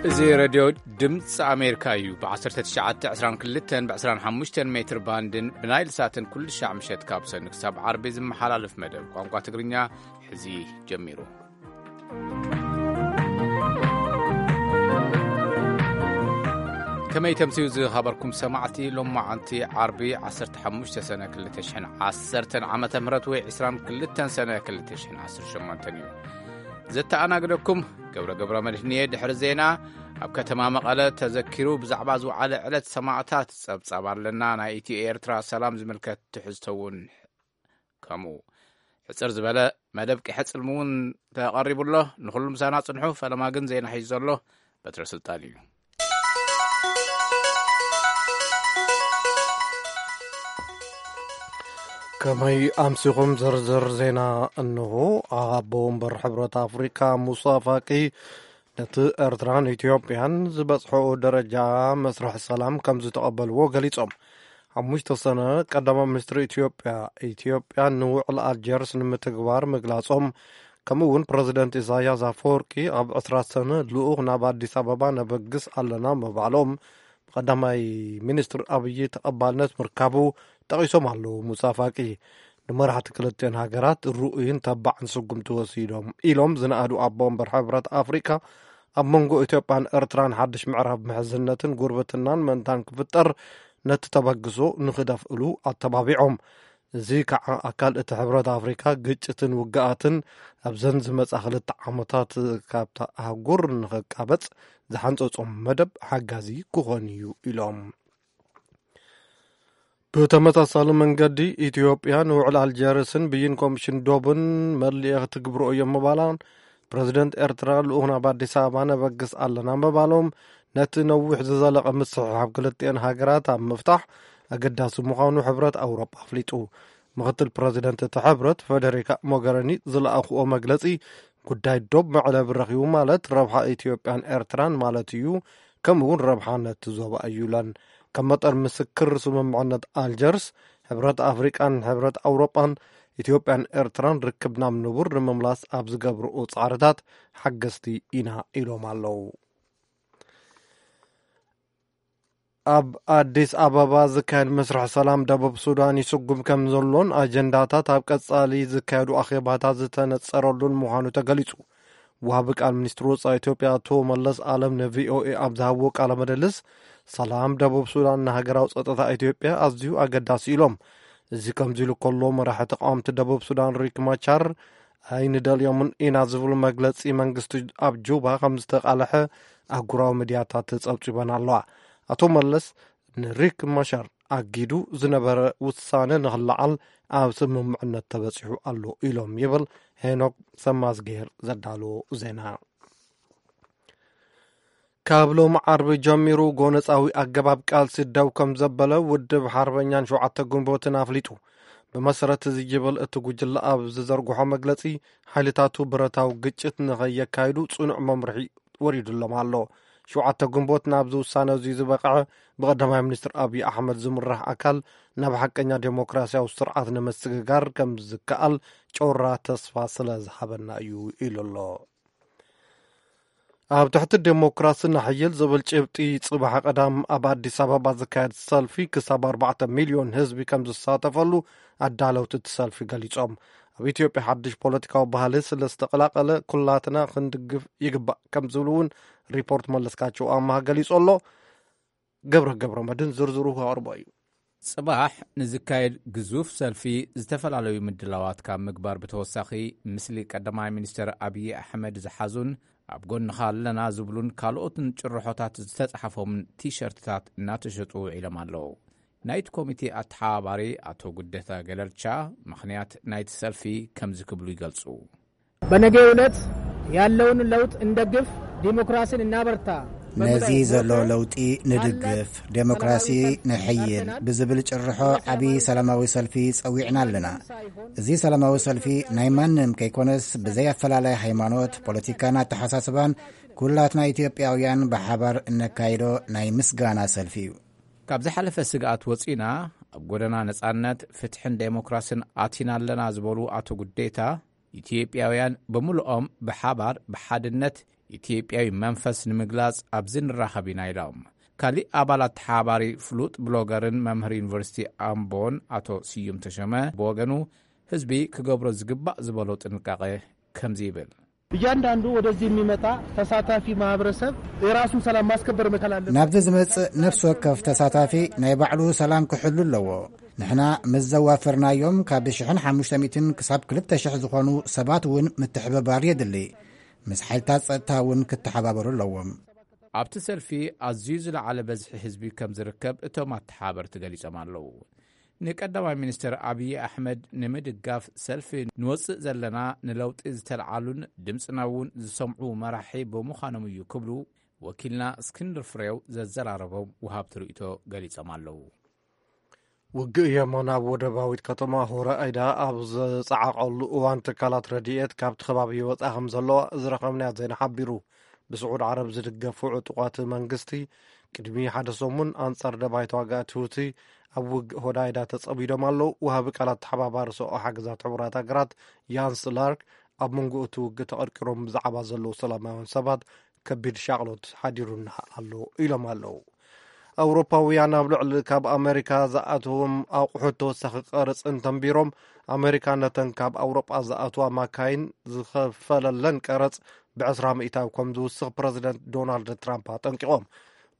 እዚ ሬድዮ ድምፂ ኣሜሪካ እዩ። ብ1922 ብ25 ሜትር ባንድን ብናይል ሳትን ኩሉ ሻዕ ምሸት ካብ ሰኑ ክሳብ ዓርቢ ዝመሓላለፍ መደብ ቋንቋ ትግርኛ ሕዚ ጀሚሩ። ከመይ ተምስዩ ዝኸበርኩም ሰማዕቲ፣ ሎማዓንቲ ዓርቢ 15 ሰነ 2010 ዓመተ ምህረት ወይ 22 ሰነ 2018 እዩ። ዘተኣናግደኩም ገብረ ገብረ መድህንየ። ድሕሪ ዜና፣ ኣብ ከተማ መቐለ ተዘኪሩ ብዛዕባ ዝወዓለ ዕለት ሰማዕታት ጸብጻብ ኣለና። ናይ ኢትዮ ኤርትራ ሰላም ዝምልከት ትሕዝቶ እውን ከምኡ። ሕጽር ዝበለ መደብ ቂሐ ጽልሚ እውን ተቐሪቡ ኣሎ። ንኹሉ ምሳና ጽንሑ። ፈለማ ግን ዜና ሒዙ ዘሎ በትረ ስልጣን እዩ። ከመይ ኣምሲኹም? ዝርዝር ዜና እንሆ። ኣቦ ወንበር ሕብረት ኣፍሪካ ሙሳ ፋቂ ነቲ ኤርትራን ኢትዮጵያን ዝበጽሖ ደረጃ መስርሕ ሰላም ከም ዝተቐበልዎ ገሊጾም። ሓሙሽተ ሰነ ቀዳማይ ሚኒስትሪ ኢትዮጵያ፣ ኢትዮጵያ ንውዕል ኣልጀርስ ንምትግባር ምግላጾም፣ ከምኡ እውን ፕረዚደንት ኢሳያስ ኣፈወርቂ ኣብ ዕስራ ሰነ ልኡኽ ናብ ኣዲስ ኣበባ ነበግስ ኣለና ምባሎም፣ ብቀዳማይ ሚኒስትር ኣብዪ ተቐባልነት ምርካቡ ጠቒሶም ኣለዉ። ሙሳ ፋቂ ንመራሕቲ ክልቲኦን ሃገራት ርኡይን ተባዕን ስጉምቲ ወሲዶም ኢሎም ዝነኣዱ ኣቦ ወንበር ሕብረት ኣፍሪካ፣ ኣብ መንጎ ኢትዮጵያን ኤርትራን ሓድሽ ምዕራፍ ምሕዝነትን ጉርብትናን ምእንታን ክፍጠር ነቲ ተበግሶ ንኽደፍእሉ ኣተባቢዖም። እዚ ከዓ ኣካል እቲ ሕብረት ኣፍሪካ ግጭትን ውግኣትን ኣብዘን ዝመጻ ክልተ ዓመታት ካብታ ኣህጉር ንኽቃበጽ ዝሓንጸጾም መደብ ሓጋዚ ክኾን እዩ ኢሎም። ብተመሳሳሊ መንገዲ ኢትዮጵያ ንውዕል ኣልጀርስን ብይን ኮሚሽን ዶብን መሊኤ ክትግብሮ እዮም ምባላን ፕረዚደንት ኤርትራ ልኡኽና ኣብ ኣዲስ ኣበባ ነበግስ ኣለና ምባሎም ነቲ ነዊሕ ዝዘለቐ ምስሕሓብ ክልቲኤን ሃገራት ኣብ ምፍታሕ ኣገዳሲ ምዃኑ ሕብረት ኣውሮጳ ኣፍሊጡ። ምኽትል ፕረዚደንት እቲ ሕብረት ፈደሪካ ሞገረኒ ዝለኣኽዎ መግለጺ፣ ጉዳይ ዶብ መዕለቢ ረኺቡ ማለት ረብሓ ኢትዮጵያን ኤርትራን ማለት እዩ፣ ከምኡ እውን ረብሓ ነቲ ዞባ እዩ ኢለን። ከም መጠን ምስክር ስምምዕነት ኣልጀርስ፣ ሕብረት ኣፍሪቃን ሕብረት ኣውሮጳን ኢትዮጵያን ኤርትራን ርክብ ናብ ንቡር ንምምላስ ኣብ ዝገብርኡ ጻዕርታት ሓገዝቲ ኢና ኢሎም ኣለዉ። ኣብ ኣዲስ ኣበባ ዝካየድ መስርሕ ሰላም ደቡብ ሱዳን ይስጉም ከም ዘሎን ኣጀንዳታት ኣብ ቀጻሊ ዝካየዱ ኣኼባታት ዝተነጸረሉን ምዃኑ ተገሊጹ። ወሃቢ ቃል ሚኒስትሪ ወጻኢ ኢትዮጵያ ኣቶ መለስ ኣለም ንቪኦኤ ኣብ ዝሃብዎ ቃለ ምልልስ፣ ሰላም ደቡብ ሱዳን ንሃገራዊ ጸጥታ ኢትዮጵያ ኣዝዩ ኣገዳሲ ኢሎም። እዚ ከምዚ ኢሉ ከሎ፣ መራሒ ተቃወምቲ ደቡብ ሱዳን ሪክ ማቻር ኣይንደልዮምን ኢና ዝብል መግለጺ መንግስቲ ኣብ ጁባ ከም ዝተቃልሐ ኣህጉራዊ ሚድያታት ጸብጺበን ኣለዋ። ኣቶ መለስ ንሪክ ማሻር ኣጊዱ ዝነበረ ውሳነ ንኽለዓል ኣብ ስምምዕነት ተበጺሑ ኣሎ ኢሎም ይብል ሄኖክ ሰማዝጌር ዘዳለዎ ዜና። ካብ ሎሚ ዓርቢ ጀሚሩ ጎነጻዊ ኣገባብ ቃልሲ ደው ከም ዘበለ ውድብ ሓርበኛን ሸውዓተ ግንቦትን ኣፍሊጡ። ብመሰረት እዚ ይብል እቲ ጉጅለ ኣብ ዝዘርግሖ መግለጺ፣ ሓይልታቱ ብረታዊ ግጭት ንኸየካይዱ ጽኑዕ መምርሒ ወሪዱሎም ኣሎ። ሸውዓተ ግንቦት ናብዚ ውሳነ እዚ ዝበቕዐ ብቐዳማይ ሚኒስትር ኣብዪ ኣሕመድ ዝምራሕ ኣካል ናብ ሓቀኛ ዴሞክራሲያዊ ስርዓት ንምስግጋር ከም ዝከኣል ጮራ ተስፋ ስለ ዝሃበና እዩ ኢሉ ኣሎ። ኣብ ትሕቲ ዴሞክራሲ ንሕይል ዝብል ጭብጢ ጽባሕ ቀዳም ኣብ ኣዲስ ኣበባ ዝካየድ ሰልፊ ክሳብ ኣርባዕተ ሚልዮን ህዝቢ ከም ዝሳተፈሉ ኣዳለውቲ እቲ ሰልፊ ገሊጾም። ኣብ ኢትዮጵያ ሓድሽ ፖለቲካዊ ባህሊ ስለ ዝተቐላቐለ ኩላትና ክንድግፍ ይግባእ ከም ዝብሉ እውን ሪፖርት መለስካቸው ኣማሃ ገሊጹ ኣሎ። ገብረ ገብረ መድን ዝርዝሩ ከቕርቦ እዩ። ጽባሕ ንዝካየድ ግዙፍ ሰልፊ ዝተፈላለዩ ምድላዋት ካብ ምግባር ብተወሳኺ፣ ምስሊ ቀዳማይ ሚኒስትር ኣብዪ ኣሕመድ ዝሓዙን ኣብ ጎንኻ ኣለና ዝብሉን ካልኦትን ጭርሖታት ዝተጻሕፎምን ቲሸርትታት እናተሸጡ ውዒሎም ኣለዉ። ናይቲ ኮሚቴ ኣተሓባባሪ ኣቶ ጉደታ ገለልቻ ምኽንያት ናይቲ ሰልፊ ከምዚ ክብሉ ይገልጹ። በነገው ዕለት ያለውን ለውጥ እንደግፍ፣ ዲሞክራሲን እናበርታ። ነዚ ዘሎ ለውጢ ንድግፍ፣ ዴሞክራሲ ንሕይል ብዝብል ጭርሖ ዓቢ ሰላማዊ ሰልፊ ጸዊዕና ኣለና። እዚ ሰላማዊ ሰልፊ ናይ ማንም ከይኮነስ፣ ብዘይ ኣፈላላይ ሃይማኖት፣ ፖለቲካን ኣተሓሳስባን ኩላትና ኢትዮጵያውያን ብሓባር እነካይዶ ናይ ምስጋና ሰልፊ እዩ። ካብ ዝሓለፈ ስግኣት ወጺና ኣብ ጎደና ነጻነት፣ ፍትሕን ዴሞክራስን ኣቲና ኣለና ዝበሉ ኣቶ ጉዴታ፣ ኢትዮጵያውያን ብምልኦም ብሓባር ብሓድነት ኢትዮጵያዊ መንፈስ ንምግላጽ ኣብዚ ንራኸብ ኢና ኢሎም። ካሊእ ኣባላት ተሓባሪ ፍሉጥ ብሎገርን መምህር ዩኒቨርሲቲ ኣምቦን ኣቶ ስዩም ተሸመ ብወገኑ፣ ህዝቢ ክገብሮ ዝግባእ ዝበሎ ጥንቃቄ ከምዚ ይብል። እያንዳንዱ ወደዚህ የሚመጣ ተሳታፊ ማህበረሰብ የራሱን ሰላም ማስከበር መቻል አለበት። ናብዚ ዝመጽእ ነፍሲ ወከፍ ተሳታፊ ናይ ባዕሉ ሰላም ክሕሉ ኣለዎ። ንሕና ምስ ዘዋፈርናዮም ካብ ሽሕን ሓሙሽተ ሚእትን ክሳብ ክልተ ሽሕ ዝኾኑ ሰባት እውን ምትሕብባር የድሊ። ምስ ሓይልታት ጸጥታ እውን ክተሓባበሩ ኣለዎም። ኣብቲ ሰልፊ ኣዝዩ ዝለዓለ በዝሒ ህዝቢ ከም ዝርከብ እቶም ኣተሓባበርቲ ገሊጾም ኣለዉ። ንቀዳማይ ሚኒስትር ኣብዪ ኣሕመድ ንምድጋፍ ሰልፊ ንወጽእ ዘለና፣ ንለውጢ ዝተልዓሉን ድምፅና እውን ዝሰምዑ መራሒ ብምዃኖም እዩ ክብሉ ወኪልና እስክንድር ፍሬው ዘዘራረቦም ወሃብቲ ርእይቶ ገሊጾም ኣለዉ። ውግእ የመን ኣብ ወደባዊት ከተማ ሆራይዳ ኣብ ዘጸዓቐሉ እዋን ትካላት ረድኤት ካብቲ ከባቢ ይወጻ ከም ዘለዋ ዝረኸብናዮ ዜና ሓቢሩ። ብስዑድ ዓረብ ዝድገፉ ዕጡቓት መንግስቲ ቅድሚ ሓደ ሰሙን ኣንጻር ደባይ ተዋጋእቲ ሁቲ ኣብ ውግእ ሆዳይዳ ተጸሚዶም ኣለዉ። ወሃቢ ቃላት ተሓባባሪ ሰብኣዊ ሓገዛት ሕቡራት ሃገራት ያንስ ላርክ ኣብ መንጎ እቲ ውግእ ተቐርቂሮም ብዛዕባ ዘለዉ ሰላማውያን ሰባት ከቢድ ሻቕሎት ሓዲሩና ኣሎ ኢሎም ኣለዉ። ኣውሮፓውያን ኣብ ልዕሊ ካብ ኣሜሪካ ዝኣትዎም ኣቑሑት ተወሳኺ ቀረጽ እንተንቢሮም፣ ኣሜሪካ ነተን ካብ ኣውሮጳ ዝኣትዋ ማካይን ዝኸፈለለን ቀረጽ ብዕስራ ሚእታዊ ከም ዝውስኽ ፕረዚደንት ዶናልድ ትራምፕ ኣጠንቂቖም።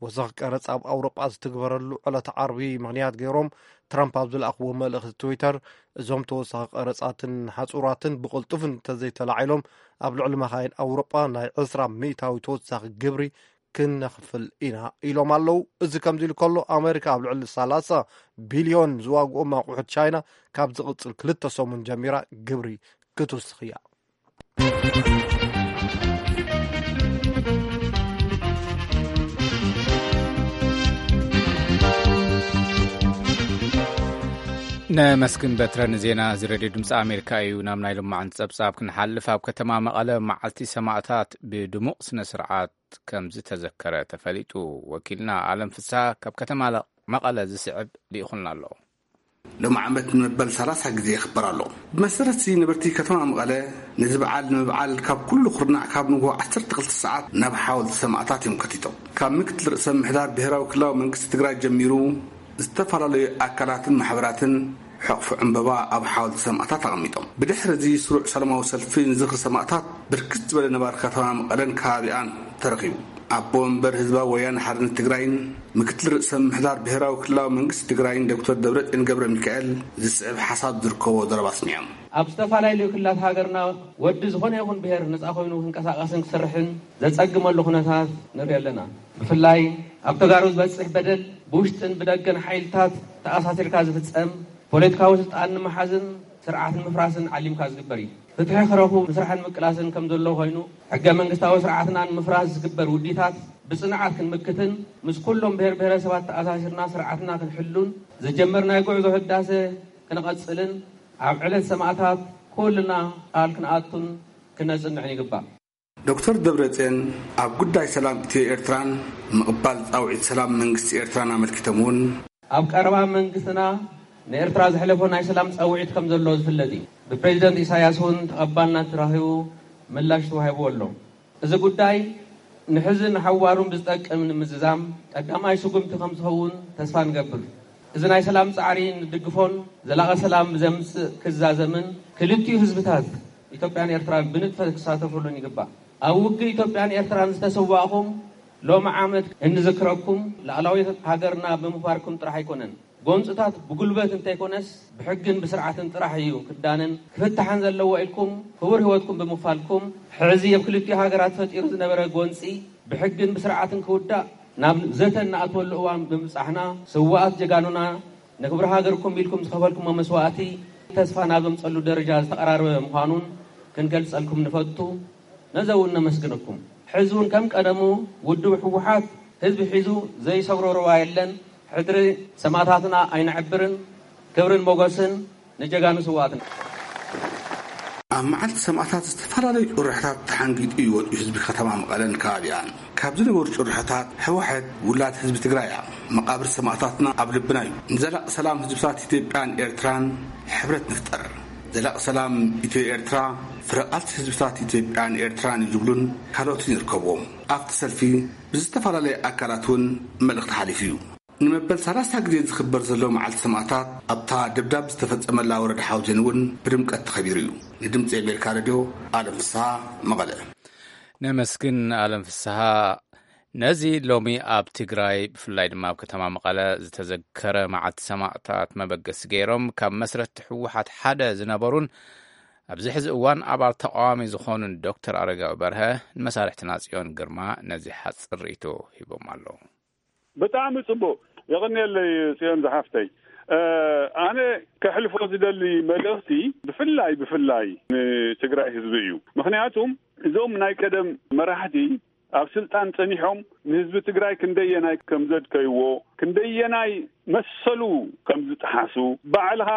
ወሰኽ ቀረጽ ኣብ ኣውሮጳ ዝትግበረሉ ዕለተ ዓርቢ ምኽንያት ገይሮም ትራምፕ ኣብ ዝለኣኽዎ መልእኽቲ ትዊተር፣ እዞም ተወሳኺ ቀረጻትን ሓጹራትን ብቕልጡፍ እንተዘይተላዒሎም ኣብ ልዕሊ መኻይን ኣውሮጳ ናይ ዕስራ ሚእታዊ ተወሳኺ ግብሪ ክነኽፍል ኢና ኢሎም ኣለዉ። እዚ ከምዚ ኢሉ ከሎ ኣሜሪካ ኣብ ልዕሊ ሰላሳ ቢልዮን ዝዋግኦም ኣቑሑት ቻይና ካብ ዝቕጽል ክልተ ሰሙን ጀሚራ ግብሪ ክትውስኽ እያ። ነመስግን በትረ ንዜና እዚ ሬድዮ ድምፂ ኣሜሪካ እዩ። ናብ ናይ ሎማዓንቲ ፀብፃብ ክንሓልፍ፣ ኣብ ከተማ መቐለ መዓልቲ ሰማእታት ብድሙቕ ስነ ስርዓት ከም ዝተዘከረ ተፈሊጡ። ወኪልና ኣለም ፍስሃ ካብ ከተማ ለ-፣ መቐለ ዝስዕብ ልኢኹልና ኣሎ። ሎም ዓመት ንመበል ሰላሳ ግዜ ይኽበር ኣሎ። ብመሰረት እዚ ነበርቲ ከተማ መቐለ ነዚ በዓል ንምብዓል ካብ ኩሉ ኩርናዕ ካብ ንግሆ ዓሰርተ ክልተ ሰዓት ናብ ሓወልቲ ሰማእታት እዮም ከቲቶም። ካብ ምክትል ርእሰ ምሕዳር ብሔራዊ ክልላዊ መንግስቲ ትግራይ ጀሚሩ ዝተፈላለዩ ኣካላትን ማሕበራትን ሕቕፊ ዕምበባ ኣብ ሓወልቲ ሰማእታት ኣቐሚጦም። ብድሕሪ እዚ ስሩዕ ሰላማዊ ሰልፊ ንዝኽሪ ሰማእታት ብርክት ዝበለ ነባሪ ከተማ መቐለን ከባቢኣን ተረኺቡ። ኣቦ ወንበር ህዝባዊ ወያነ ሓርነት ትግራይን ምክትል ርእሰ ምሕዳር ብሔራዊ ክልላዊ መንግስቲ ትግራይን ዶክተር ደብረጽዮን ገብረ ሚካኤል ዝስዕብ ሓሳብ ዝርከቦ ዘረባ ኣስሚዖም። ኣብ ዝተፈላለዩ ክልላት ሃገርና ወዲ ዝኾነ ይኹን ብሔር ነፃ ኮይኑ ክንቀሳቐስን ክሰርሕን ዘጸግመሉ ኩነታት ንርኢ ኣለና። ብፍላይ ኣብ ተጋሩ ዝበጽሕ በደል ብውሽጥን ብደገን ሓይልታት ተኣሳሲርካ ዝፍጸም፣ ፖለቲካዊ ስልጣን ንምሓዝን ስርዓት ንምፍራስን ዓሊምካ ዝግበር እዩ። ፍትሒ ክረኽቡ ምስራሕን ምቅላስን ከም ዘሎ ኮይኑ፣ ሕገ መንግስታዊ ስርዓትና ንምፍራስ ዝግበር ውዲታት ብጽንዓት ክንምክትን ምስ ኩሎም ብሔር ብሔረሰባት ተኣሳሲርና ስርዓትና ክንሕሉን ዝጀመርናዮ ጉዕዞ ህዳሰ ክንቐጽልን ኣብ ዕለት ሰማእታት ኩልና ቃል ክንኣቱን ክነጽንዕን ይግባእ። ዶክተር ደብረጽዮን ኣብ ጉዳይ ሰላም ኢትዮ ኤርትራን ምቕባል ጻውዒት ሰላም መንግስቲ ኤርትራን ኣመልኪቶም እውን፣ ኣብ ቀረባ መንግስትና ንኤርትራ ዘሕለፎ ናይ ሰላም ጻውዒት ከም ዘሎ ዝፍለጥ እዩ። ብፕሬዚደንት ኢሳያስ እውን ተቐባልነት ተረኺቡ ምላሽ ተዋሂብዎ ኣሎ። እዚ ጉዳይ ንሕዝን ንሓዋሩን ብዝጠቅም ንምዝዛም ቀዳማይ ስጉምቲ ከም ዝኸውን ተስፋ ንገብር። እዚ ናይ ሰላም ጻዕሪ ንድግፎን ዘላቒ ሰላም ዘምጽእ ክዛዘምን ክልቲኡ ህዝብታት ኢትዮጵያን ኤርትራን ብንጥፈት ክሳተፉሉን ይግባእ። ኣብ ውግእ ኢትዮጵያን ኤርትራን ዝተሰዋእኹም ሎሚ ዓመት እንዝክረኩም ላዕላዊት ሃገርና ብምኽባርኩም ጥራሕ ኣይኮነን። ጎንፅታት ብጉልበት እንተይኮነስ ብሕግን ብስርዓትን ጥራሕ እዩ ክዳነን ክፍታሕን ዘለዎ ኢልኩም ክቡር ህይወትኩም ብምኽፋልኩም፣ ሕዚ ኣብ ክልቲኡ ሃገራት ተፈጢሩ ዝነበረ ጎንፂ ብሕግን ብስርዓትን ክውዳእ ናብ ዘተ እናኣተወሉ እዋን ብምብፃሕና፣ ስውኣት ጀጋኑና ንክብሪ ሃገርኩም ኢልኩም ዝኸፈልኩሞ መስዋእቲ ተስፋ ናብ ዘምፀሉ ደረጃ ዝተቐራረበ ምዃኑን ክንገልፀልኩም ንፈቱ። ነዚ እውን ነመስግነኩም። ሕዚ እውን ከም ቀደሙ ውድብ ህወሓት ህዝቢ ሒዙ ዘይሰግሮ ሩባ የለን። ሕድሪ ሰማእታትና ኣይነዕብርን። ክብርን ሞገስን ንጀጋኑ ስውኣትና። ኣብ መዓልቲ ሰማእታት ዝተፈላለዩ ጭርሖታት ተሓንጊጡ እዩ ወፂኡ ህዝቢ ከተማ መቐለን ከባቢኣን። ካብ ዝነበሩ ጭርሖታት፣ ህወሓት ውላድ ህዝቢ ትግራይ እያ፣ መቓብር ሰማእታትና ኣብ ልብና እዩ፣ ንዘላቂ ሰላም ህዝብታት ኢትዮጵያን ኤርትራን ሕብረት ንፍጠር፣ ዘላቂ ሰላም ኢትዮ ኤርትራ ፍረ ቃልሲ ህዝብታት ኢትዮጵያን ኤርትራን እዩ ዝብሉን ካልኦትን ይርከብዎም። ኣብቲ ሰልፊ ብዝተፈላለየ ኣካላት እውን መልእኽቲ ሓሊፉ እዩ። ንመበል ሰላሳ ግዜ ዝኽበር ዘሎ መዓልቲ ሰማእታት ኣብታ ደብዳብ ዝተፈጸመላ ወረዳ ሓውዜን እውን ብድምቀት ተኸቢሩ እዩ። ንድምጺ ኣሜሪካ ሬድዮ ኣለም ፍስሃ፣ መቐለ። ነመስግን ኣለም ፍስሃ። ነዚ ሎሚ ኣብ ትግራይ ብፍላይ ድማ ኣብ ከተማ መቐለ ዝተዘከረ መዓልቲ ሰማእታት መበገሲ ገይሮም ካብ መስረትቲ ህወሓት ሓደ ዝነበሩን ኣብዚ ሕዚ እዋን ኣባል ተቃዋሚ ዝኾኑን ዶክተር ኣረጋዊ በርሀ ንመሳርሕትና ጽዮን ግርማ ነዚ ሓጽር ርእይቶ ሂቦም ኣለዉ። ብጣዕሚ ጽቡቕ። የቐንየለይ ጽዮን ዝሓፍተይ። እ፣ ኣነ ከሕልፎ ዝደሊ መልእኽቲ ብፍላይ፣ ብፍላይ ንትግራይ ህዝቢ እዩ። ምኽንያቱም እዞም ናይ ቀደም መራሕቲ ኣብ ስልጣን ጸኒሖም ንህዝቢ ትግራይ ክንደየናይ ከም ዘድከይዎ፣ ክንደየናይ መሰሉ ከም ዝጠሓሱ ባዕልኻ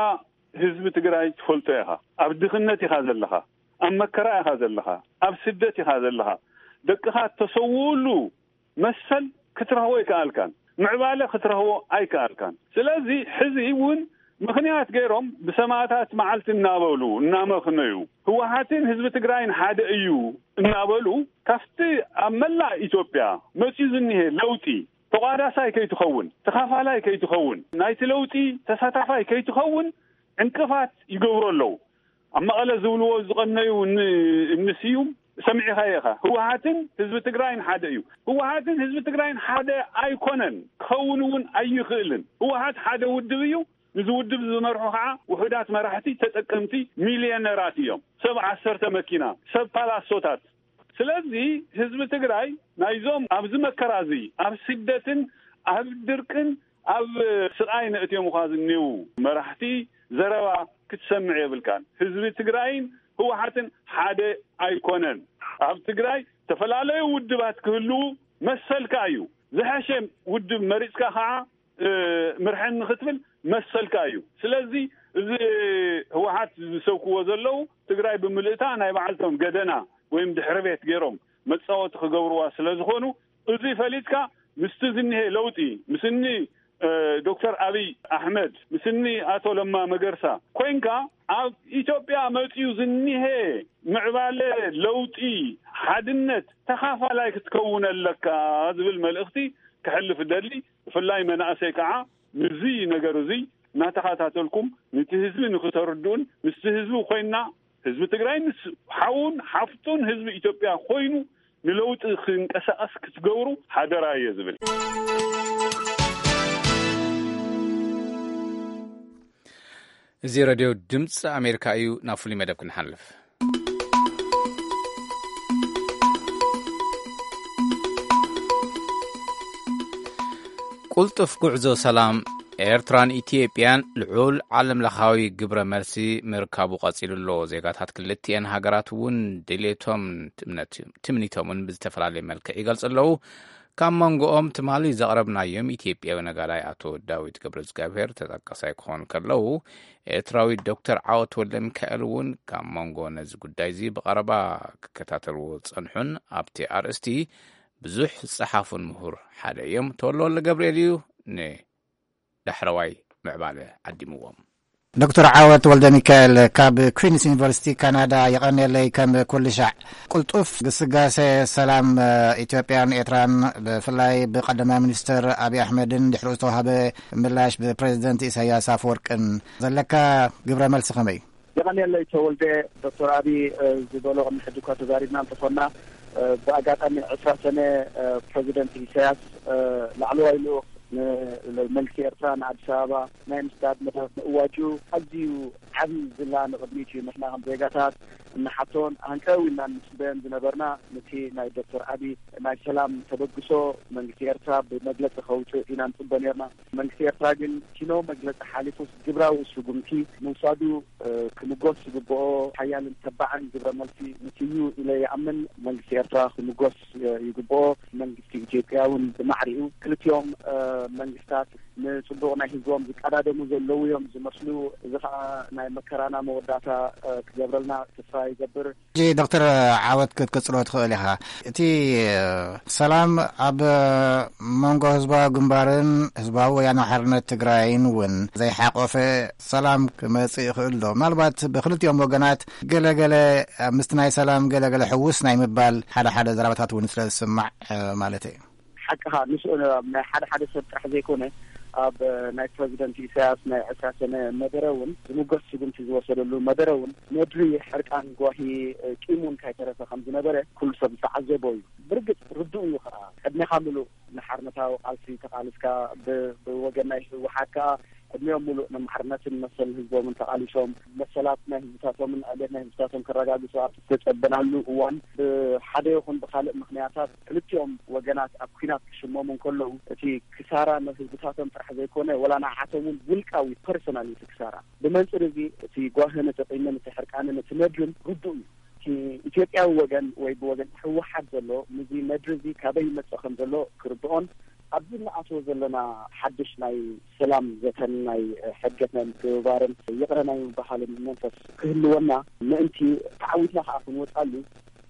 ህዝቢ ትግራይ ትፈልጦ ኢኻ። ኣብ ድኽነት ኢኻ ዘለኻ፣ ኣብ መከራ ኢኻ ዘለኻ፣ ኣብ ስደት ኢኻ ዘለኻ። ደቅኻ እተሰውኡሉ መሰል ክትረኽቦ ኣይከኣልካን፣ ምዕባለ ክትረኽቦ ኣይከኣልካን። ስለዚ ሕዚ እውን ምኽንያት ገይሮም ብሰማእታት መዓልቲ እናበሉ እናመኽነዩ፣ ህወሓትን ህዝቢ ትግራይን ሓደ እዩ እናበሉ፣ ካብቲ ኣብ መላእ ኢትዮጵያ መፅዩ ዝኒሄ ለውጢ ተቋዳሳይ ከይትኸውን፣ ተኻፋላይ ከይትኸውን፣ ናይቲ ለውጢ ተሳታፋይ ከይትኸውን ዕንቅፋት ይገብሩ ኣለዉ። ኣብ መቐለ ዝብልዎ ዝቐነዩ እኒ፣ እኒ ስዩም ሰሚዕኻዮ ኢኻ። ህወሓትን ህዝቢ ትግራይን ሓደ እዩ። ህወሓትን ህዝቢ ትግራይን ሓደ ኣይኮነን፣ ክኸውን እውን ኣይኽእልን። ህወሓት ሓደ ውድብ እዩ። ንዚ ውድብ ዝመርሑ ከዓ ውሑዳት መራሕቲ፣ ተጠቀምቲ፣ ሚልዮነራት እዮም። ሰብ ዓሰርተ መኪና፣ ሰብ ፓላሶታት። ስለዚ ህዝቢ ትግራይ ናይዞም ኣብዚ መከራ እዚ፣ ኣብ ስደትን ኣብ ድርቅን ኣብ ስቓይ ነእትዮም እኳ ዝኒው መራሕቲ ዘረባ ክትሰምዕ የብልካን። ህዝቢ ትግራይን ህወሓትን ሓደ ኣይኮነን። ኣብ ትግራይ ዝተፈላለዩ ውድባት ክህልዉ መሰልካ እዩ። ዝሐሸ ውድብ መሪፅካ ከዓ፣ እ፣ ምርሐኒ ክትብል መሰልካ እዩ። ስለዚ እዚ ህወሓት ዝሰብክዎ ዘለዉ ትግራይ ብምልእታ ናይ በዓልቶም ገደና ወይም ድሕሪ ቤት ገይሮም መፃወቲ ክገብርዋ ስለ ዝኾኑ፣ እዚ ፈሊጥካ ምስቲ ዝኒሄ ለውጢ፣ ምስ እኒ፣ እ፣ ዶክተር ኣብይ ኣሕመድ፣ ምስ እኒ ኣቶ ለማ መገርሳ ኮይንካ ኣብ ኢትዮጵያ መፂኡ ዝኒሄ ምዕባለ፣ ለውጢ፣ ሓድነት ተኻፋላይ ክትከውን ኣለካ ዝብል መልእኽቲ ክሕልፍ እደሊ። ብፍላይ መናእሰይ ከዓ ምስዚ ነገር እዚ እናተኸታተልኩም ነቲ ህዝቢ ንክተርድኡን ምስቲ ህዝቢ ኮይንና ህዝቢ ትግራይ ምስ ሓውን ሓፍቱን ህዝቢ ኢትዮጵያ ኮይኑ ንለውጢ ክንቀሳቐስ ክትገብሩ ሓደራ እየ ዝብል። እዚ ሬድዮ ድምፂ ኣሜሪካ እዩ። ናብ ፍሉይ መደብ ክንሓልፍ። ቁልጡፍ ጉዕዞ ሰላም ኤርትራን ኢትዮጵያን ልዑል ዓለም ለኻዊ ግብረ መልሲ ምርካቡ ቀጺሉ ኣሎ። ዜጋታት ክልቲኤን ሃገራት እውን ድሌቶም ትምነት-፣ ትምኒቶምን ብዝተፈላለየ መልክዕ ይገልጹ ኣለዉ። ካብ መንጎኦም ትማሊ ዘቕረብናዮም ኢትዮጵያዊ ነጋዳይ ኣቶ ዳዊት ገብረ እግዚኣብሔር ተጠቃሳይ ክኾኑ ከለዉ፣ ኤርትራዊ ዶክተር ዓወት ወልደ ሚካኤል እውን ካብ መንጎ ነዚ ጉዳይ እዚ ብቐረባ ክከታተልዎ ዝጸንሑን ኣብቲ ኣርእስቲ ብዙሕ ዝጸሓፉን ምሁር ሓደ እዮም። ተወልደ ወልደ ገብርኤል እዩ ንዳሕረዋይ ምዕባለ ዓዲምዎም። ዶክተር ዓወት ወልደ ሚካኤል ካብ ኩዊንስ ዩኒቨርሲቲ ካናዳ፣ የቐንየለይ። ከም ኩሉ ሻዕ ቅልጡፍ ግስጋሴ ሰላም፣ እ፣ ኢትዮጵያን ኤርትራን፣ ብፍላይ ብቀዳማይ ሚኒስትር ኣብይ ኣሕመድን ድሕሪኡ ዝተዋህበ ምላሽ ብፕሬዚደንት ኢሳያስ ኣፈወርቅን ዘለካ ግብረ መልሲ ከመይ? የቐንየለይ ተወልደ። ዶክተር ኣብይ፣ እ፣ ዝበሎ ቅድሚ ሕጂ እኳ ተዛሪብና እንተኾንና፣ እ፣ ብኣጋጣሚ ዕስራ ሰነ፣ እ፣ ፕሬዚደንት ኢሳያስ፣ እ፣ ላዕለዋይ ልኡኽ ንመንግስቲ ኤርትራ ንኣዲስ ኣበባ ናይ ምስዳድ መደብ ምእዋጁ ኣዝዩ ዓቢ ዝላ ንቕድሚት እዩ። ንሕና ከም ዜጋታት እንሓቶን ሃንቀው ኢልና እንጽበዮን ዝነበርና፣ ነቲ ናይ ዶክተር ኣብይ ናይ ሰላም ተበግሶ መንግስቲ ኤርትራ ብመግለጺ ከውጽእ ኢና ንጽበ ነርና። መንግስቲ ኤርትራ ግን ኪኖ መግለጺ ሓሊፉስ ግብራዊ ስጉምቲ ምውሳዱ፣ እ፣ ክምጎስ ዝግብኦ ሓያልን ተባዕን ግብረ መልሲ ምስዩ ኢለ ይኣምን። መንግስቲ ኤርትራ ክምጎስ፣ እ፣ ይግብኦ። መንግስቲ ኢትዮጵያ እውን ብማዕሪኡ ክልቲኦም፣ እ፣ መንግስታት ንጽቡቕ ናይ ህዝቦም ዝቀዳደሙ ዘለዉ እዮም ዝመስሉ። እዚ ኸኣ ናይ መከራና መወዳእታ፣ እ፣ ክገብረልና ተስፋ ይገብር። ሕጂ ዶክተር ዓወት ክትቅጽሎ ትኽእል ኢኻ። እቲ ሰላም ኣብ መንጎ ህዝባዊ ግንባርን ህዝባዊ ወያነ ሓርነት ትግራይን እውን ዘይሓቆፈ ሰላም ክመጽእ ይኽእል ዶ? ምናልባት ብክልቲኦም ወገናት ገለገለ ምስቲ ናይ ሰላም ገለገለ ሕውስ ናይ ምባል ሓደ ሓደ ዘረባታት እውን ስለ ዝስማዕ፣ እ፣ ማለት እዩ። ሓቅኻ፣ ንስኡ ኣብ ናይ ሓደ ሓደ ሰብ ጥራሕ ዘይኮነ፣ ኣብ ናይ ፕረዚደንት ኢሳያስ ናይ ዕስራ ሰነ መደረ እውን ዝምጎስ ስጉምቲ ዝወሰደሉ መደረ እውን ነድሪ ሕርቃን ጓሂ ቂም እውን ካይተረፈ ከም ዝነበረ ኩሉ ሰብ ዝተዓዘቦ እዩ። ብርግጽ ርዱእ እዩ ከዓ፣ ዕድሜኻ ምሉእ ንሓርነታዊ ቃልሲ ተቓልስካ፣ ብ-፣ ብወገን ናይ ህወሓት ከዓ ዕድሜኦም ምሉእ ንማዕርነትን መሰል ህዝቦምን ተቓሊሶም፣ መሰላት ናይ ህዝብታቶምን ዕብየት ናይ ህዝብታቶም ከረጋግጹ ኣብ ዝተጸበናሉ እዋን፣ ብሓደ ይኹን ብኻልእ ምኽንያታት ክልቲኦም ወገናት ኣብ ኲናት ክሽመሙ እንከለዉ፣ እቲ ክሳራ ንህዝብታቶም ጥራሕ ዘይኮነ፣ ወላ ንዓቶም እውን ውልቃዊ ፐርሶናል እቲ ክሳራ። ብመንጽር እዚ፣ እቲ ጓህን፣ እቲ ቂምን፣ እቲ ሕርቃንን፣ እቲ ነድርን ርዱእ እዩ። እቲ ኢትዮጵያዊ ወገን ወይ ብወገን ህወሓት ዘሎ፣ ነዚ ነድሪ እዚ ካበይ ይመጽእ ከም ዘሎ ክርድኦን፣ ኣብዚ እንኣትዎ ዘለና ሓድሽ ናይ ሰላም ዘተን ናይ ሕድገት ናይ ምትብባርን ይቕረ ናይ ምብሃልን መንፈስ ክህልወና ምእንቲ ተዓዊትና ከኣ ክንወጻሉ፣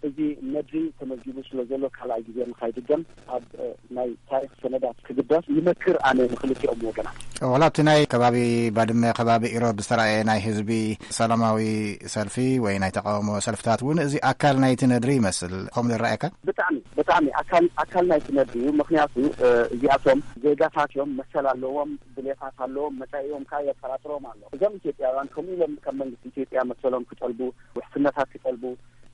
እዚ ነድሪ ተመዝጊቡ ስለ ዘሎ ካልኣይ ግዜ ንኻይድገም ኣብ፣ እ፣ ናይ ታሪኽ ሰነዳት ክግዳስ ይመክር ኣነ ንክልቲኦም ወገናት። ዋላ ኣብቲ ናይ ከባቢ ባድመ፣ ከባቢ ኢሮብ ዝተራእየ ናይ ህዝቢ ሰላማዊ ሰልፊ ወይ ናይ ተቃውሞ ሰልፍታት እውን እዚ ኣካል ናይቲ ነድሪ ይመስል። ከምኡ ይረኣየካ? ብጣዕሚ፣ ብጣዕሚ ኣካል፣ ኣካል ናይቲ ነድሪ እዩ። ምኽንያቱ፣ እ፣ እዚኣቶም ዜጋታት እዮም፣ መሰል ኣለዎም፣ ድሌታት ኣለዎም፣ መጻኢኦም ከኣ የጠራጥሮም ኣሎ። እዞም ኢትዮጵያውያን ከምኡ ኢሎም ካብ መንግስቲ ኢትዮጵያ መሰሎም ክጠልቡ፣ ውሕስነታት ክጠልቡ፣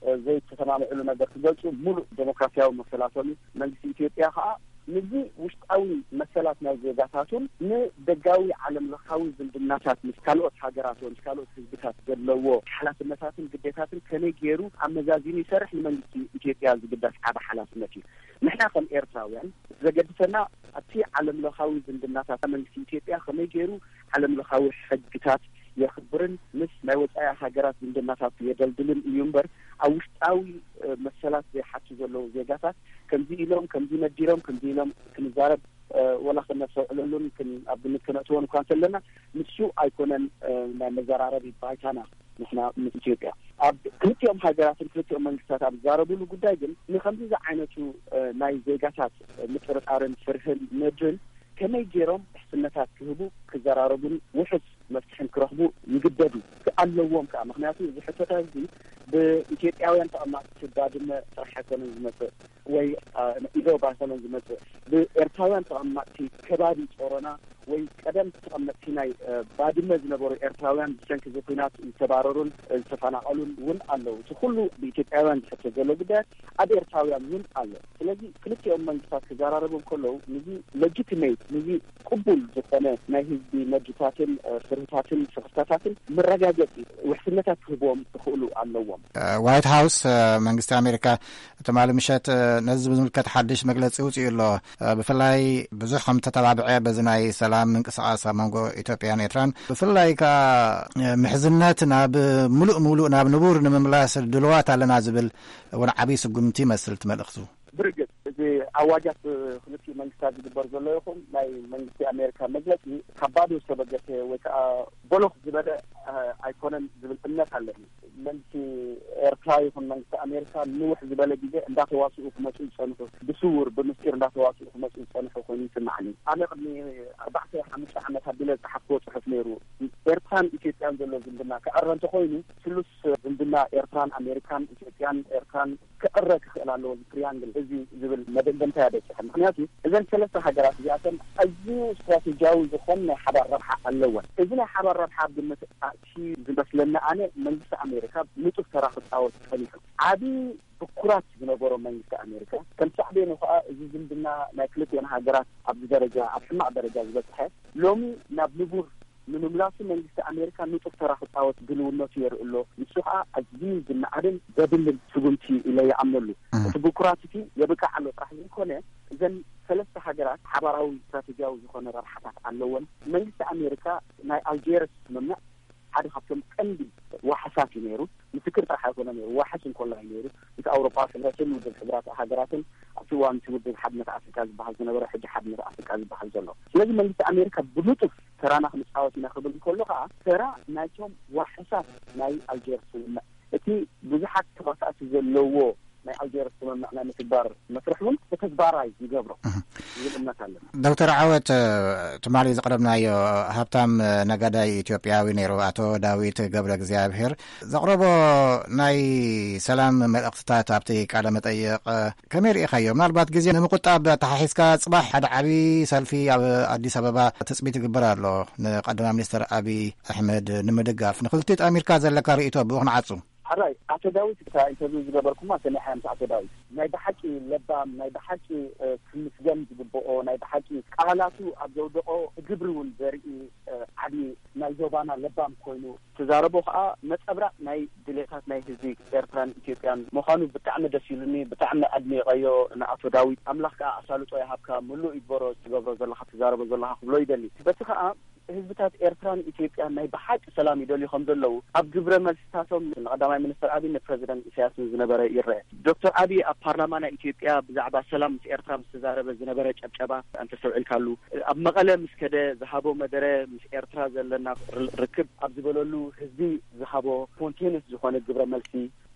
እ፣ ዘይተሰማምዕሉ ነገር ክገልጹ ሙሉእ ዴሞክራሲያዊ መሰላቶም እዩ። መንግስቲ ኢትዮጵያ ከኣ ነዚ ውሽጣዊ መሰላት ናይ ዜጋታቱን ንደጋዊ ዓለም ለኻዊ ዝምድናታት ምስ ካልኦት ሃገራት ወይ ምስ ካልኦት ህዝብታት ዘለዎ ሓላፍነታትን ግዴታትን ከመይ ገይሩ ኣመዛዚኑ ይሰርሕ ንመንግስቲ ኢትዮጵያ ዝግዳስ ዓቢ ሓላፍነት እዩ። ንሕና ከም ኤርትራውያን ዘገድሰና ኣብቲ ዓለም ለኻዊ ዝምድናታት መንግስቲ ኢትዮጵያ ከመይ ገይሩ ዓለም ለኻዊ ሕግታት የኽብርን ምስ ናይ ወጻኢ ሃገራት ዝምድናታት የደልድልን እዩ እምበር፣ ኣብ ውሽጣዊ፣ እ፣ መሰላት ዘይሓቱ ዘለዉ ዜጋታት ከምዚ ኢሎም፣ ከምዚ ነዲሮም፣ ከምዚ ኢሎም ክንዛረብ፣ እ፣ ወላ ክነስተውዕለሉን ክን-፣ ኣብ ግምት ክነእትዎን እኳ እንተለና፣ ንሱ ኣይኮነን፣ እ፣ ናይ መዘራረቢ ባይታና። ንሕና ምስ ኢትዮጵያ ኣብ ክልቲኦም ሃገራትን ክልቲኦም መንግስታት ኣብ ዝዛረቡሉ ጉዳይ ግን፣ ንከምዚ ዝዓይነቱ፣ እ፣ ናይ ዜጋታት ምጥርጣርን ፍርህን ነድርን ከመይ ገይሮም ውሕስነታት ክህቡ፣ ክዘራረቡን ውሑስ መፍትሕን ክረኽቡ ይግደዱ። ኣለዎም ከኣ፣ ምኽንያቱ እዚ ሕቶታት እዚ ብኢትዮጵያውያን ተቐማጥቲ ባድመ ጥራሕ ኣይኮነን ዝመጽእ፣ ወይ፣ አ፣ ኢሮብ ኣይኮነን ዝመጽእ፣ ብኤርትራውያን ተቐማጥቲ ከባቢ ጾሮና ወይ ቀደም ተቐመጥቲ ናይ፣ እ፣ ባድመ ዝነበሩ ኤርትራውያን ብሰንኪ እዚ ኲናት ዝተባረሩን ዝተፈናቐሉን እውን ኣለዉ። እቲ ኩሉ ብኢትዮጵያውያን ዝሕቶ ዘሎ ጉዳያት ኣብ ኤርትራውያን እውን ኣሎ። ስለዚ ክልቲኦም መንግስታት ክዘራረቡ እንከለዉ፣ ነዚ ሌጂቲሜት፣ ነዚ ቅቡል ዝኾነ ናይ ህዝቢ ነድርታትን፣ እ፣ ፍርህታትን ስኽፍታታትን መረጋገጺ ውሕስነታት ክህብዎም ክኽእሉ ኣለዎም። እ፣ ዋይት ሃውስ፣ እ፣ መንግስቲ ኣሜሪካ ትማሊ ምሸት፣ እ፣ ነዚ ብዝምልከት ሓድሽ መግለጺ ውጽኡ ኣሎ። እ፣ ብፍላይ ብዙሕ ከም ተተባብዐ በዚ ናይ ሰላም ምንቅስቓስ ኣብ መንጎ ኢትዮጵያን ኤርትራን፣ ብፍላይ ከኣ፣ እ፣ ምሕዝነት ናብ ምሉእ ምሉእ ናብ ንቡር ንምምላስ ድልዋት ኣለና ዝብል እውን ዓብዪ ስጉምቲ ይመስል እቲ መልእኽቱ። ብርግጽ፣ እዚ ኣዋጃት ክልቲኡ መንግስታት ዝግበር ዘሎ ይኹን ናይ መንግስቲ ኣሜሪካ መግለጺ ካብ ባዶ ዝተበገሰ ወይ ከኣ ቦሎኽ ዝበለ፣ እ፣ ኣይኮነን ዝብል እምነት ኣለኒ። መንግስቲ ኤርትራ ይኹን መንግስቲ ኣሜሪካ ንውሕ ዝበለ ግዜ እንዳተዋስኡ ክመጹ ዝጸንሑ፣ ብስውር ብምስጢር እንዳተዋስኡ ክመጹ ዝጸንሑ ኮይኑ ይስማዓኒ። ኣነ ቅድሚ ኣርባዕተ ሓሙሽተ ዓመት ኣቢለ ዝጸሓፍክዎ ጽሑፍ ነይሩ። ኤርትራን ኢትዮጵያን ዘሎ ዝምድና ክዕረ እንተኾይኑ፣ ስሉስ ዝምድና ኤርትራን ኣሜሪካን፣ ኢትዮጵያን ኤርትራን ክዕረ ክኽእል ኣለዎ። እዚ ትሪያንግል እዚ ዝብል መደምደምታ እያ በጺሐ። ምኽንያቱ እዘን ሰለስተ ሃገራት እዚኣተን ኣዝዩ ስትራቴጂያዊ ዝኾነ ናይ ሓባር ረብሓ ኣለወን። እዚ ናይ ሓባር ረብሓ ኣብ ግምት ኣእትዩ ዝመስለኒ ኣነ፣ መንግስቲ ኣሜሪካ ንጡፍ ተራ ክጻወት ጸኒሑ። ዓቢ ብኩራት ዝነበሮ መንግስቲ ኣሜሪካ፣ ከም ሳዕቤኑ ከኣ እዚ ዝምድና ናይ ክልቲኦን ሃገራት ኣብዚ ደረጃ፣ ኣብ ሕማቕ ደረጃ ዝበጽሐ፣ ሎሚ ናብ ንቡር ንምምላሱ መንግስቲ ኣሜሪካ ንጡፍ ተራ ክጻወት ድልውነቱ የርኢ ኣሎ። ንሱ ከኣ ኣዝዩ ዝነኣድን ዘብልን ስጉምቲ ኢለ ይኣምነሉ። እም። እቲ ብኩራት እቲ የብቅዕ ኣሎ ጥራሕ ዘይኮነ፣ እዘን ሰለስተ ሃገራት ሓባራዊ ስትራቴጂያዊ ዝኾነ ረብሓታት ኣለወን። መንግስቲ ኣሜሪካ ናይ ኣልጀርስ ስምምዕ ሓደ ካብቶም ቀንዲ ዋሕሳት እዩ ነይሩ። ምስክር ጥራሕ ኣይኮነ ነይሩ፣ ዋሕስ እንኮላ እዩ ነይሩ። ምስ ኣውሮፓ ሕብረትን ውድብ ሕብራት ሃገራትን ኣብቲ እዋን እቲ ውድብ ሓድነት ኣፍሪካ ዝበሃል ዝነበረ፣ ሕጂ ሓድነት ኣፍሪካ ዝበሃል ዘሎ። ስለዚ መንግስቲ ኣሜሪካ ብሉጡፍ ተራና ክንፃወት ኢና ክብል እንከሎ ከዓ፣ ተራ ናይቶም ዋሕሳት ናይ ኣልጀርስ ስምምዕ፣ እቲ ብዙሓት ተዋሳእቲ ዘለዎ ናይ ኣልጀርስ ስምምዕ ናይ ምትግባር መስርሕ እውን ተግባራይ ይገብሮ ዝብል እምነት ኣለና። ዶክተር ዓወት፣ ትማሊ ዘቕረብናዮ ሃብታም ነጋዳይ ኢትዮጵያዊ ነይሩ፣ ኣቶ ዳዊት ገብረ እግዚኣብሔር ዘቕረቦ ናይ ሰላም መልእኽትታት ኣብቲ ቃለ መጠይቕ ከመይ ርኢኻዮ? ምናልባት ግዜ ንምቁጣብ ኣተሓሒዝካ፣ ጽባሕ ሓደ ዓቢ ሰልፊ ኣብ ኣዲስ ኣበባ ትጽቢት ይግበር ኣሎ፣ ንቀዳማይ ሚኒስትር ኣቢይ ኣሕመድ ንምድጋፍ። ንክልቲኡ ጠሚርካ ዘለካ ርእይቶ ብኡ ክንዓጹ። ሕራይ፣ ኣቶ ዳዊት፣ እታ ኢንተርቪው ዝገበርኩማ ሰሚዐያ ምስ ኣቶ ዳዊት፣ ናይ ብሓቂ ለባም፣ ናይ ብሓቂ ክምስገን ዝግብኦ፣ ናይ ብሓቂ ቃላቱ ኣብ ዘውደቆ ግብሪ እውን ዘርኢ ዓቢ ናይ ዞባና ለባም ኮይኑ ትዛረቦ ከዓ ነፀብራቅ ናይ ድሌታት ናይ ህዝቢ ኤርትራን ኢትዮጵያን ምዃኑ ብጣዕሚ ደስ ኢሉኒ፣ ብጣዕሚ ኣድኒቀዮ ንኣቶ ዳዊት። ኣምላኽ ከዓ ኣሳልጦ ይሃብካ፣ ምሉእ ይግበሮ ትገብሮ ዘለካ ትዛረቦ ዘለካ ክብሎ ይደሊ። በቲ ከዓ ህዝብታት ኤርትራን ኢትዮጵያን ናይ ብሓቂ ሰላም ይደልዩ ከም ዘለዉ ኣብ ግብረ መልስታቶም ንቀዳማይ ሚኒስትር ኣብይ ንፕረዚደንት ኢሳያስ ዝነበረ ይረአ። ዶክተር ኣብይ ኣብ ፓርላማ ናይ ኢትዮጵያ ብዛዕባ ሰላም ምስ ኤርትራ ምስ ተዛረበ ዝነበረ ጨብጨባ እንተስተውዒልካሉ፣ ኣብ መቐለ ምስ ከደ ዝሃቦ መደረ ምስ ኤርትራ ዘለና ር- ርክብ ኣብ ዝበለሉ ህዝቢ ዝሃቦ ስፖንቴንስ ዝኾነ ግብረ መልሲ።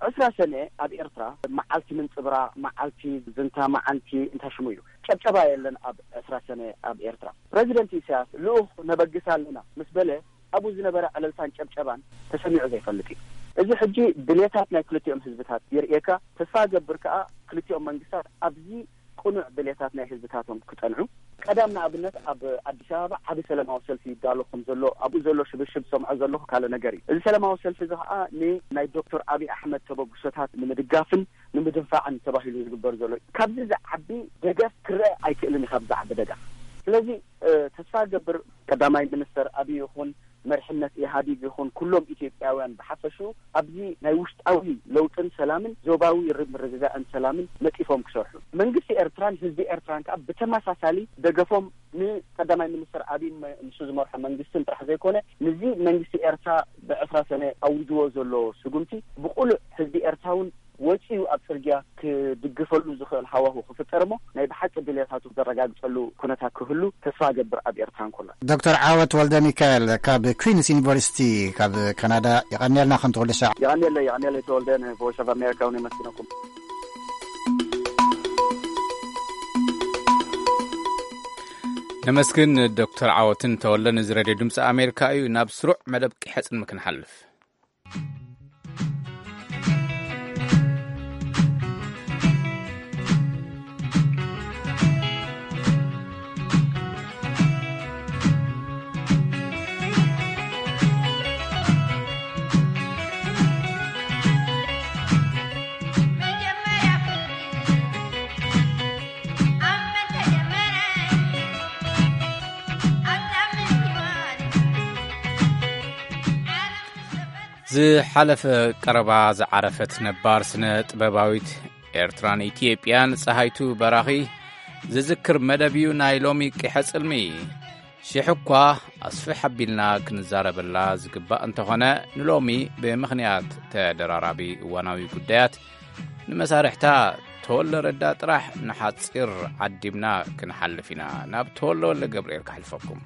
ዕስራ ሰነ ኣብ ኤርትራ መዓልቲ ምንጽብራቕ፣ መዓልቲ ዝንታ፣ መዓልቲ እንታይ ሽሙ እዩ፣ ጨብጨባ የለን ኣብ ዕስራ ሰነ ኣብ ኤርትራ። ፕረዚደንት ኢሳያስ ልኡኽ ነበግስ ኣለና ምስ በለ ኣብኡ ዝነበረ ዕልልታን ጨብጨባን ተሰሚዑ ዘይፈልጥ እዩ። እዚ ሕጂ ድሌታት ናይ ክልቲኦም ህዝብታት የርእየካ። ተስፋ ገብር ከኣ ክልቲኦም መንግስታት ኣብዚ ቅኑዕ ድሌታት ናይ ህዝብታቶም ክጸንዑ። ቀዳም ንኣብነት ኣብ ኣዲስ ኣበባ ዓቢ ሰላማዊ ሰልፊ ይዳሎ ከም ዘሎ ኣብኡ ዘሎ ሽብሽብ ሰምዖ ዘለኹ ካልእ ነገር እዩ። እዚ ሰላማዊ ሰልፊ እዚ ከኣ ንናይ ዶክተር ኣብይ ኣሕመድ ተበግሶታት ንምድጋፍን ንምድንፋዕን ተባሂሉ ዝግበር ዘሎ እዩ። ካብዚ ዝዓቢ ደገፍ ክረአ ኣይክእልን እዩ። ካብ ዝዓቢ ደገፍ ስለዚ ተስፋ ገብር ቀዳማይ ሚኒስተር ኣብይ ይኹን መርሕነት ኢህኣዲግ ይኹን ኩሎም ኢትዮጵያውያን ብሓፈሽኡ ኣብዚ ናይ ውሽጣዊ ለውጥን ሰላምን ዞባዊ ርምርግጋእን ሰላምን ነጢፎም ክሰርሑ መንግስቲ ኤርትራን ህዝቢ ኤርትራን ከዓ ብተመሳሳሊ ደገፎም ንቀዳማይ ሚኒስተር ኣብይን ንሱ ዝመርሖ መንግስትን ጥራሕ ዘይኮነ ንዚ መንግስቲ ኤርትራ ብዕስራ ሰነ ኣዊጅዎ ዘሎ ስጉምቲ ብቁሉዕ ህዝቢ ኤርትራ እውን ወፂኡ ኣብ ፅርግያ ክድግፈሉ ዝኽእል ሃዋሁ ክፍጠር እሞ ናይ ብሓቂ ድልየታቱ ዘረጋግፀሉ ኩነታት ክህሉ ተስፋ ገብር ኣብ ኤርትራ እንኮላ። ዶክተር ዓወት ወልደ ሚካኤል ካብ ኩዊንስ ዩኒቨርሲቲ ካብ ካናዳ፣ የቐንየልና ከምቲ ኩሉ ሻዕ። የቐንየለይ፣ የቐንየለይ ተወልደ፣ ንቮይስ ኦፍ ኣሜሪካ እውን የመስግነኩም። ነመስግን ዶክተር ዓወትን ተወልደን። እዚ ሬድዮ ድምፂ ኣሜሪካ እዩ። ናብ ስሩዕ መደብ ቂሐ ጽልሚ ክንሓልፍ። ዝሓለፈ ቀረባ ዝዓረፈት ነባር ስነ ጥበባዊት ኤርትራን ኢትዮጵያን ጸሃይቱ በራኺ ዝዝክር መደብ እዩ ናይ ሎሚ ቂሐ ጽልሚ። ሽሕ እኳ ኣስፍሕ ኣቢልና ክንዛረበላ ዝግባእ እንተኾነ፣ ንሎሚ ብምኽንያት ተደራራቢ እዋናዊ ጉዳያት ንመሳርሕታ ተወልደ ረዳ ጥራሕ ንሓጺር ዓዲምና ክንሓልፍ ኢና። ናብ ተወልደ ወልደ ገብርኤል ከሕልፈኩም።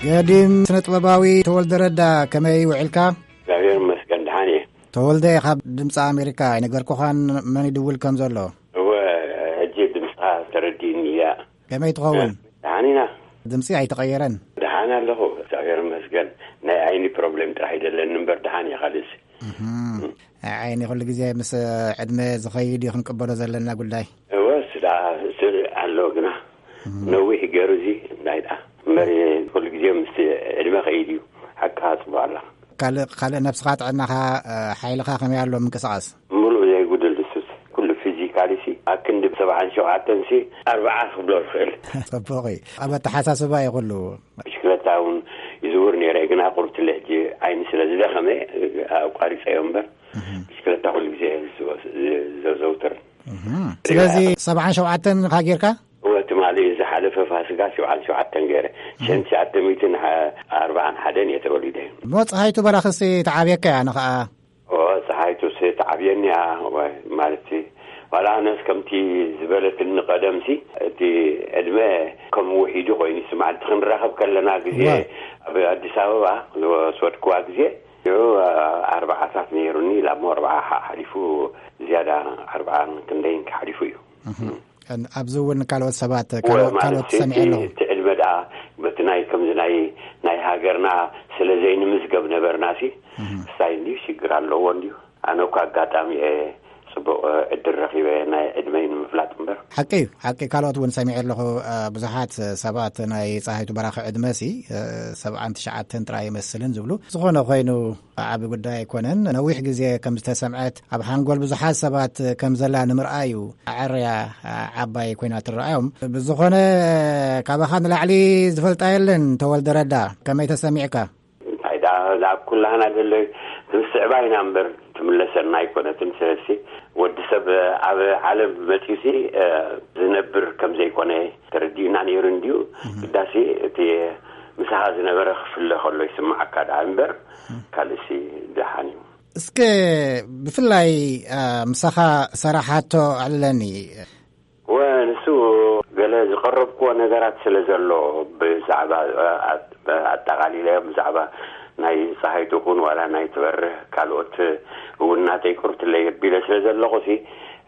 ገዲም ስነ ጥበባዊ ተወልደ ረዳ፣ ከመይ ውዒልካ? እግዚኣብሔር ይመስገን፣ ደሓን እየ። ተወልደ፣ ካብ ድምፂ ኣሜሪካ ኣይነገርኩኻን መን ይድውል ከም ዘሎ? እወ፣ ሕጂ ድምፅኻ ተረዲእኒ እያ። ከመይ ትኸውን? ደሓን ኢና። ድምፂ ኣይተቐየረን። ደሓን ኣለኹ፣ እግዚኣብሔር ይመስገን። ናይ ዓይኒ ፕሮብሌም ጥራሕ ይደለኒ እምበር ደሓን እየ። ካልእስ? እህም። ዓይኒ ኩሉ ግዜ ምስ ዕድመ ዝኸይድ እዩ ክንቅበሎ ዘለና ጉዳይ። እወ፣ ስዳ ስር ኣሎ ግና። እም። ነዊሕ ገይሩ እዚ እንታይ ደኣ እምበር፣ ኩሉ ግዜ ምስ ዕድመ ከይድ እዩ። ሓቅኻ ጽቡቕ ኣላ። ካልእ፣ ካልእ ነብስኻ፣ ጥዕናኻ፣ እ፣ ሓይልኻ ከመይ ኣሎ ምንቅስቓስ? ምሉእ ዘይጉድል እሱስ። ኩሉ ፊዚካሊ ሲ ኣብ ክንዲ ሰብዓን ሸውዓተን ሲ ኣርብዓ ክብሎ ዝኽእል። ጽቡቕ እዩ። ኣብ ኣተሓሳስባ እዩ ኩሉ። ብሽክለታ እውን ይዝውር ነይረ፣ ግና ቁርብትለ ሕጂ ዓይኒ ስለ ዝደኸመ ኣቋሪጸዮ እምበር፣ እህም። ብሽክለታ ኩሉ ግዜ ዘ-፣ ዘዘውትር። እህም። ስለዚ ሰብዓን ሸውዓተን ኢኻ ጌርካ? እወ፣ ትማሊ ዝሓለፈ ፋሲካ ሸውዓን ሸውዓተን ገ-፣ ነይረ። ሽሕን ትሽዓተ ሚእትን ኣርባዓን ሓደን እየ ተወሊደ። እሞ ፀሃይቱ በራኽሲ ተዓብየካ እያ ንኸዓ? ኦ፣ ፀሃይቱ ሲ ተዓብየኒ እያ፣ ወይ፣ ማለት ሲ፣ ዋላ ኣነስ ከምቲ ዝበለትኒ ቀደም ሲ፣ እቲ ዕድመ ከም ውሒዱ ኮይኑ ይስምዓኒ። እቲ ክንራኸብ ከለና ግዜ፣ እወ። ኣብ ኣዲስ ኣበባ ዝወሰድክዋ ግዜ፣ ሽዑ ኣርባዓታት ነይሩኒ፣ ኢላ እሞ ኣርብዓ ሓ-፣ ሓሊፉ፣ ዝያዳ ኣርብዓን ክንደይን ሓሊፉ እዩ። እም። እን-፣ ኣብዚ እውን ካልኦት ሰባት፣ እወ፣ ካልኦት፣ ማለት ካልኦት ሲ፣ ሰሚዐ እቲ፣ ኣለኹ። እቲ ዕድመ ደኣ በቲ ናይ፣ ከምዚ ናይ፣ ናይ ሃገርና ስለ ዘይንምዝገብ ነበርና ሲ፣ እም። እንታይ እንድዩ ሽግር ኣለዎ እንድዩ? ኣነ እኮ ኣጋጣሚ እየ ጽቡቕ ዕድል ረኺበ ናይ ዕድመይ ንምፍላጥ እምበር። ሓቂ እዩ፣ ሓቂ። ካልኦት እውን ሰሚዐ ኣለኹ፣ እ፣ ብዙሓት ሰባት ናይ ፀሃይቱ በራኺ ዕድመ ሲ፣ እ፣ ሰብዓን ትሽዓተን ጥራይ ይመስልን ዝብሉ። ዝኾነ ኮይኑ ዓቢ ጉዳይ ኣይኮነን። ነዊሕ ግዜ ከም ዝተሰምዐት ኣብ ሓንጎል ብዙሓት ሰባት ከም ዘላ ንምርኣይ እዩ ኣዐርያ ዓባይ ኮይና ትረኣዮም። ብዝኾነ ካባኻ ንላዕሊ ዝፈልጣ የለን። ተወልደ ረዳ፣ ከመይ ተሰሚዕካ? እንታይ ደኣ፣ ኣብ ኩላህና ዘሎ ክንስዕባ ኢና እምበር ትምለሰና ኣይኮነትን። ስለዚ ወዲ ሰብ ኣብ ዓለም መጺኡሲ፣ እ፣ ዝነብር ከም ዘይኮነ ተረዲኡና ነይሩ እንድዩ። እም። ግዳሲ እቲ ምሳኻ ዝነበረ ክፍለ ከሎ ይስምዓካ ደኣ እምበር፣ እም። ካልእሲ ደሓን እዩ። እስከ ብፍላይ፣ እ፣ ምሳኻ ሰራሓቶ ኣዕልለኒ። ወ፣ ንሱ ገለ ዝቐረብክዎ ነገራት ስለ ዘሎ ብዛዕባ፣ እ፣ ኣት-፣ ኣጠቓሊለ ብዛዕባ ናይ ፀሃይቱ ኩን ዋላ ናይ ትበርህ ካልኦት እውን ናተይ ቁርትለይ ኣቢለ ስለ ዘለኹ ሲ፣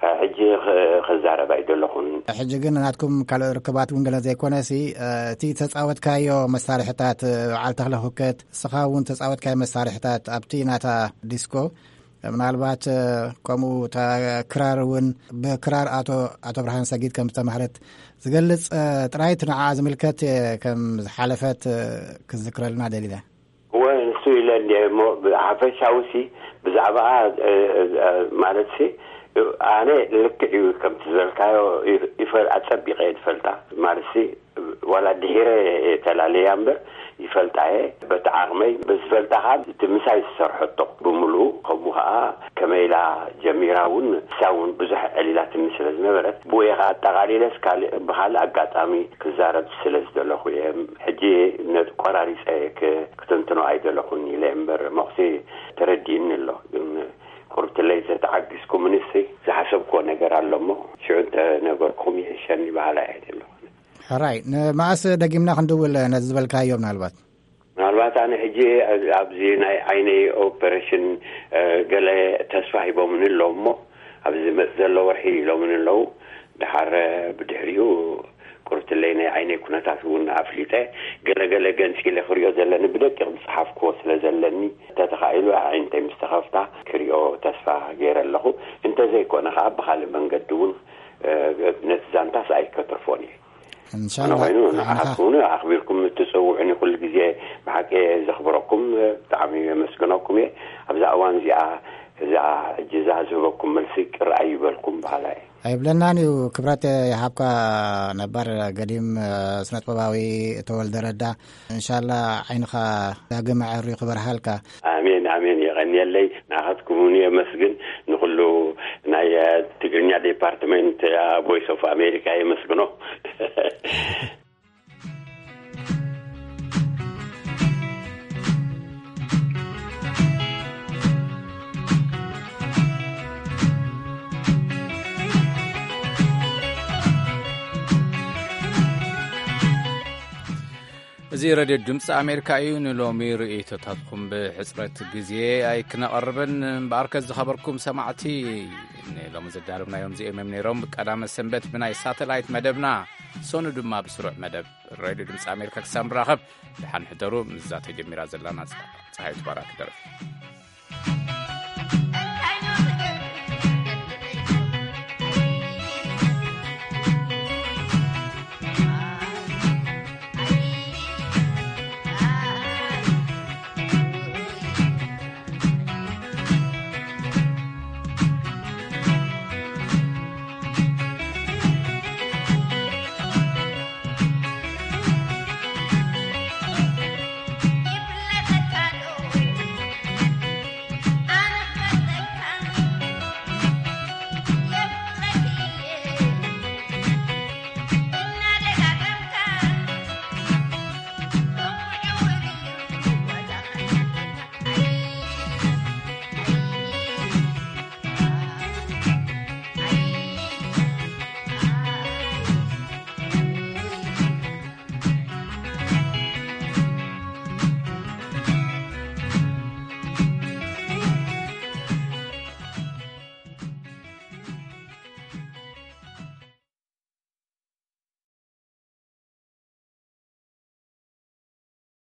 እ፣ ሕጂ ኽ-፣ ክዛረብ ኣይደለኹን። ሕጂ ግን ናትኩም ካልኦ ርክባት እውን ገለ ዘይኮነ ሲ፣ እ፣ እቲ ተጻወትካዮ መሳርሕታት፣ እ፣ በዓል ተኽለ ሁከት፣ ንስኻ እውን ተጻወትካዮ መሳርሕታት ኣብቲ ናታ ዲስኮ፣ ምናልባት፣ እ፣ ከምኡ እታ ክራር እውን ብክራር ኣቶ፣ ኣቶ ብርሃን ሰጊድ ከም ዝተማህረት ዝገልጽ፣ እ፣ ጥራይ እቲ ንዓኣ ዝምልከት፣ እ፣ ከም ዝሓለፈት፣ እ፣ ክዝክረልና ደሊለ። እወ፣ ንሱ ኢለ እንድየ እሞ፣ ብሓፈሻዊ ሲ፣ ብዛዕባኣ፣ እ፣ እ፣ ማለት ሲ፣ ኣነ ልክዕ እዩ ከምቲ ዝበልካዮ፣ ይፈ-፣ ኣጸቢቐ እየ ዝፈልጣ። ማለት ሲ፣ ዋላ ድሒረ እየ ተላለያ እምበር፣ ይፈልጣ እየ። በቲ ዓቕመይ፣ ብዝፈልጣ ኸዓ፣ እቲ ምሳይ ዝሰርሐቶ ብምሉኡ፣ ከምኡ ኸዓ ከመይ ኢላ ጀሚራ እውን፣ ንሳ እውን ብዙሕ ዕሊላትኒ ስለ ዝነበረት፣ ብኡ እየ ኸዓ ኣጠቓሊለስ፣ ካልእ፣ ብኻልእ ኣጋጣሚ ክዛረብ ስለ ዝደለኹ እየ። ሕጂ ነቲ ቆራሪፀ ክ-፣ ክትንትኖ ኣይደለኹን ኢለ እምበር፣ መኹሲ ተረዲእኒ ኣሎ። ግን ቁርብትለይ ተተዓጊስኩምንሲ ዝሓሰብክዎ ነገር ኣሎ እሞ፣ ሽዑ እንተነገርኩም ይሕሸኒ በሃላይ እየ ዘለኹ። ሕራይ፣ ንመኣስ ደጊምና ክንድውል ነዚ ዝበልካዮ ምናልባት? ምናልባት ኣነ ሕጂ ኣብዚ ናይ ዓይነይ ኦፐሬሽን፣ እ፣ ገለ ተስፋ ሂቦምኒ ኣለዉ እሞ፣ ኣብዚ ዝመጽእ ዘሎ ወርሒ ኢሎምኒ ኣለዉ። ደሓር ብድሕሪኡ ቁርብትለይ ናይ ዓይነይ ኩነታት እውን ኣፍሊጠ፣ ገለ ገለ ገንጺለ ክሪኦ ዘለኒ ብደቂቕ ዝጸሓፍክዎ ስለ ዘለኒ፣ እንተተኻኢሉ ኣዒንተይ ምስ ተኸፍታ ክሪኦ ተስፋ ገይረ ኣለኹ። እንተዘይኮነ ኸኣ ብኻልእ መንገዲ እውን፣ እ፣ ነቲ ዛንታስ ኣይከትርፎን እየ። እንሻላ። ኣነ ኮይኑ ንዓኻ ንዓኻ። ትኹኑ ኣኽቢርኩም እትጽውዑኒ ኩሉ ግዜ ብሓቂ ዘኽብረኩም፣ ብጣዕሚ የመስግነኩም እየ። ኣብዛ እዋን እዚኣ፣ እዛ ሕጂ እዛ ዝህበኩም መልሲ ቅር ኣይበልኩም በሃላይ። ኣይብለናን እዩ። ክብረት ይሃብካ ነባር ገዲም፣ እ፣ ስነጥበባዊ ተወልደ ረዳ። እንሻላ ዓይንኻ ዳግም ኣዐርዩ ክበርሃልካ። ኣሜን፣ ኣሜን። የቐንየለይ። ንዓኻትኩም እውን የመስግን። ንኹሉ ናይ፣ እ፣ ትግርኛ ዲፓርትመንት፣ እ፣ ቮይስ ኦፍ ኣሜሪካ የመስግኖ። እዚ ሬድዮ ድምፂ ኣሜሪካ እዩ። ንሎሚ ርእይቶታትኩም ብሕፅረት ግዜ ኣይክነቐርብን እምበኣርከ፣ ዝኸበርኩም ሰማዕቲ፣ ንሎሚ ዘዳለብናዮም እዚኦም እዮም ነይሮም። ብቀዳመ ሰንበት ብናይ ሳተላይት መደብና፣ ሰኑ ድማ ብስሩዕ መደብ ሬድዮ ድምፂ ኣሜሪካ ክሳብ ንራኸብ፣ ደሓን ሕደሩ። ምስዛ ተጀሚራ ዘላ ናጻ ፀሃይቱ ባራኪ ደርፊ።